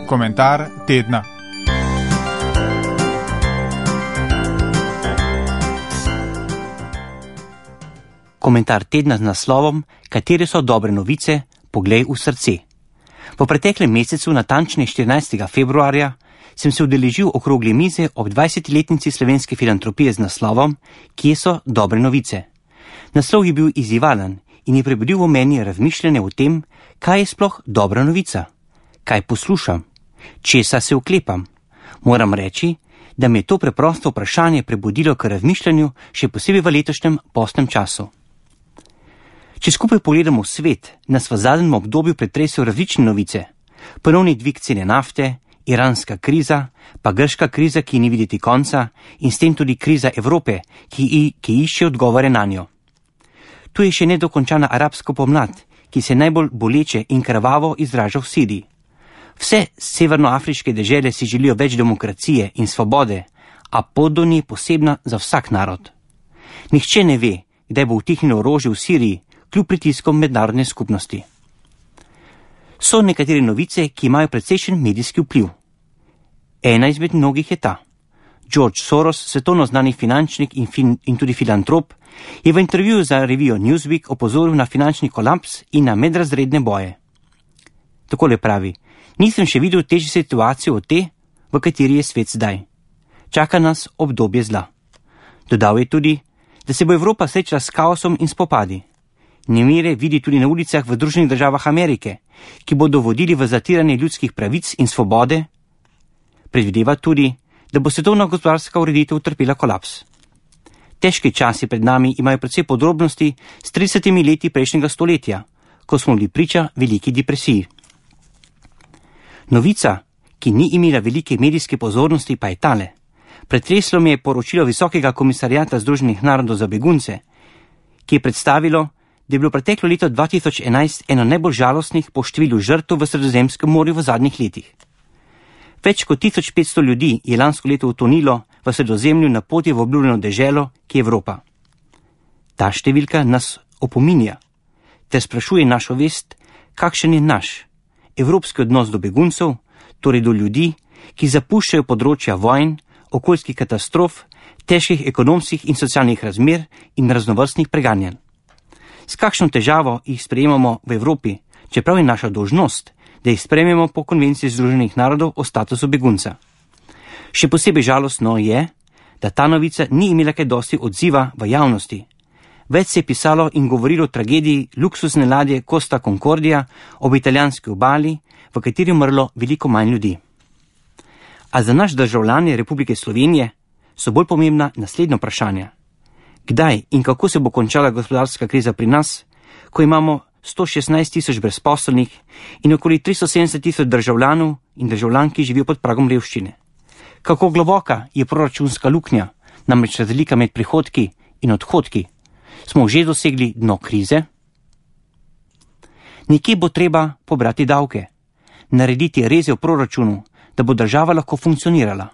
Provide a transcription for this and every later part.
Komentar tedna. Komentar tedna z naslovom Katere so dobre novice, poglej v srce. V preteklem mesecu, natančne 14. februarja, sem se udeležil okrogle mize ob 20-letnici slovenske filantropije z naslovom Kje so dobre novice. Naslov je bil izzivalen in je prebudil v meni razmišljanje o tem, kaj je sploh dobra novica, kaj poslušam, česa se oklepam. Moram reči, da me je to preprosto vprašanje prebudilo k razmišljanju, še posebej v letošnjem postnem času. Če skupaj pogledamo svet, nas v zadnjem obdobju pretresajo različne novice. Ponovni dvig cene nafte, iranska kriza, pa grška kriza, ki ni videti konca, in s tem tudi kriza Evrope, ki išče odgovore na njo. Tu je še nedokončana arabska pomlad, ki se najbolj boleče in krvavo izraža v Siriji. Vse severnoafriške dežele si želijo več demokracije in svobode, a pot do nje posebna za vsak narod. Nihče ne ve, kdaj bo utihnilo orožje v Siriji, kljub pritiskom mednarodne skupnosti. So nekatere novice, ki imajo precejšen medijski vpliv. Ena izmed mnogih je ta. George Soros, svetovno znani finančnik in tudi filantrop, je v intervjuju za revijo Newsweek opozoril na finančni kolaps in na medrazredne boje. Takole pravi: nisem še videl težje situacije od te, v kateri je svet zdaj. Čaka nas obdobje zla. Dodal je tudi, da se bo Evropa srečala s kaosom in spopadi. Nemire vidi tudi na ulicah v Združenih državah Amerike, ki bodo vodili v zatiranje ljudskih pravic in svobode. Predvideva tudi, da bo svetovna gospodarska ureditev utrpela kolaps. Težki časi pred nami imajo predvsej podrobnosti s 30 leti prejšnjega stoletja, ko smo bili priča veliki depresiji. Novica, ki ni imela velike medijske pozornosti, pa je tale. Pretreslo me je poročilo Visokega komisarjata Združenih narodov za begunce, ki je predstavilo, da je bilo preteklo leto 2011 eno najbolj žalostnih po številu žrtev v Sredozemskem morju v zadnjih letih. Več kot 1500 ljudi je lansko leto utonilo v Sredozemlju na poti v obljubljeno deželo, ki je Evropa. Ta številka nas opominja ter sprašuje našo vest, kakšen je naš evropski odnos do beguncev, torej do ljudi, ki zapuščajo področja vojn, okoljskih katastrof, težkih ekonomskih in socialnih razmer in raznovrstnih preganjanj. S kakšno težavo jih sprejemamo v Evropi, čeprav je naša dolžnost, da jih sprejmemo po konvenciji Združenih narodov o statusu begunca. Še posebej žalostno je, da ta novica ni imela kaj dosti odziva v javnosti. Več se je pisalo in govorilo o tragediji luksuzne ladje Costa Concordia ob italijanski obali, v kateri je umrlo veliko manj ljudi. A za naš državljane Republike Slovenije so bolj pomembna naslednja vprašanja. Kdaj in kako se bo končala gospodarska kriza pri nas, ko imamo 116 000 brezposelnih in okoli 370 000 državljanov in državljank, ki živijo pod pragom revščine? Kako globoka je proračunska luknja, namreč razlika med prihodki in odhodki? Smo že dosegli dno krize? Nekje bo treba pobrati davke, narediti reze v proračunu, da bo država lahko funkcionirala.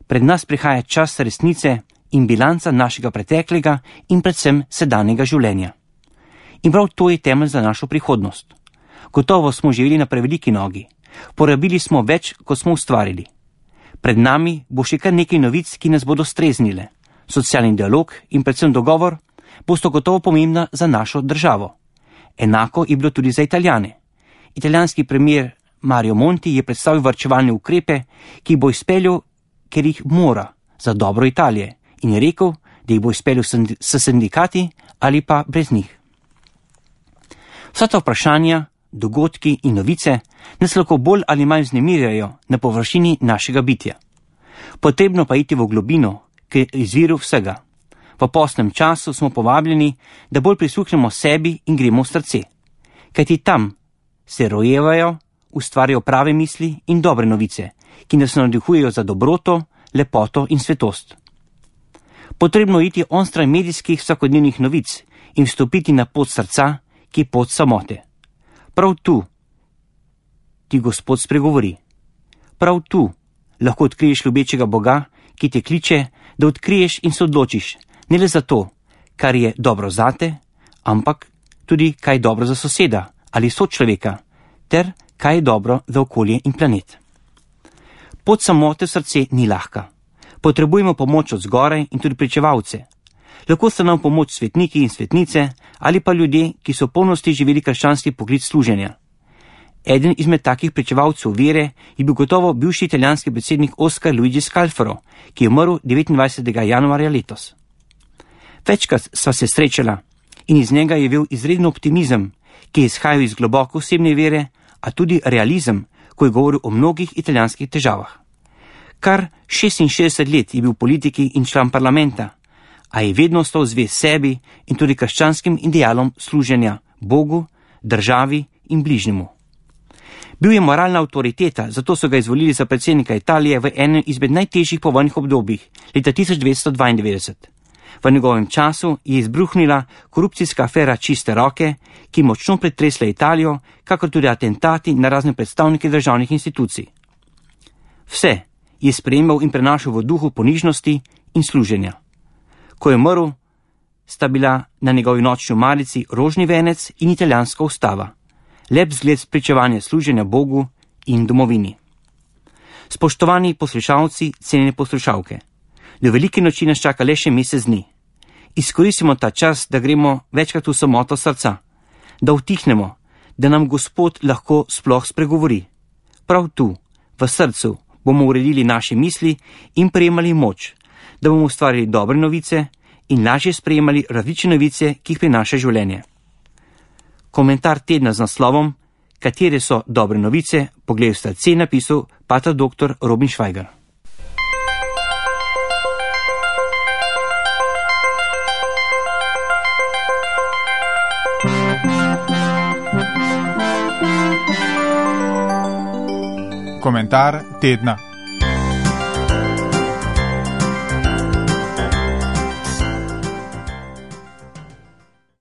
Pred nas prihaja čas resnice in bilanca našega preteklega in predvsem sedanjega življenja. In prav to je temelj za našo prihodnost. Gotovo smo živeli na preveliki nogi. Porabili smo več, kot smo ustvarili. Pred nami bo še kar nekaj novic, ki nas bodo streznile. Socialni dialog in predvsem dogovor bosta gotovo pomembna za našo državo. Enako je bilo tudi za Italijane. Italijanski premier Mario Monti je predstavil varčevalne ukrepe, ki bo izpeljal, ker jih mora, za dobro Italije, in je rekel, da jih bo izpeljal s sindikati ali pa brez njih. Vsa ta vprašanja, dogodki in novice nas lahko bolj ali manj vznemirjajo na površini našega bitja. Potrebno pa iti v globino, k izviru vsega. V postnem času smo povabljeni, da bolj prisluhnemo sebi in gremo v srce. Kajti tam se rojevajo, ustvarjajo prave misli in dobre novice, ki nas navdihujejo za dobroto, lepoto in svetost. Potrebno je iti onstran medijskih vsakodnevnih novic in vstopiti na pot srca, ki je pot samote. Prav tu ti Gospod spregovori. Prav tu lahko odkriješ ljubečega Boga, ki te kliče, da odkriješ in se odločiš, ne le za to, kar je dobro zate, ampak tudi kaj je dobro za soseda ali sočloveka, ter kaj je dobro za okolje in planet. Pot samote v srce ni lahka. Potrebujemo pomoč od zgoraj in tudi pričevalce. Lahko so nam pomoč svetniki in svetnice ali pa ljudje, ki so v polnosti živeli krščanski poklic služenja. Eden izmed takih pričevalcev vere je bil gotovo bivši italijanski predsednik Oscar Luigi Scalfaro, ki je umrl 29. januarja letos. Večkrat sva se srečala in iz njega je bil izreden optimizem, ki je izhajal iz globoko osebne vere, a tudi realizem, ko je govoril o mnogih italijanskih težavah. Kar 66 let je bil v politiki in član parlamenta, a je vedno ostal zvest sebi in tudi krščanskim idealom služenja Bogu, državi in bližnjemu. Bil je moralna avtoriteta, zato so ga izvolili za predsednika Italije v enem izmed najtežjih povojnih obdobij, leta 1992. V njegovem času je izbruhnila korupcijska afera Čiste roke, ki je močno pretresla Italijo, kakor tudi atentati na razne predstavnike državnih institucij. Vse je sprejemal in prenašal v duhu ponižnosti in služenja. Ko je umrl, sta bila na njegovi nočni omarici rožni venec in italijanska ustava, lep zgled spričevanja služenja Bogu in domovini. Spoštovani poslušalci, cenjene poslušalke, do velike noči nas čaka le še mesec dni. Izkoristimo ta čas, da gremo večkrat v samoto srca, da utihnemo, da nam Gospod lahko sploh spregovori. Prav tu, v srcu, bomo uredili naše misli in prejemali moč, da bomo ustvarili dobre novice in lažje sprejemali različne novice, ki jih prinaša življenje. Komentar tedna z naslovom Katere so dobre novice, poglej v srce, napisal pater dr. Robin Švajger. Komentar tedna.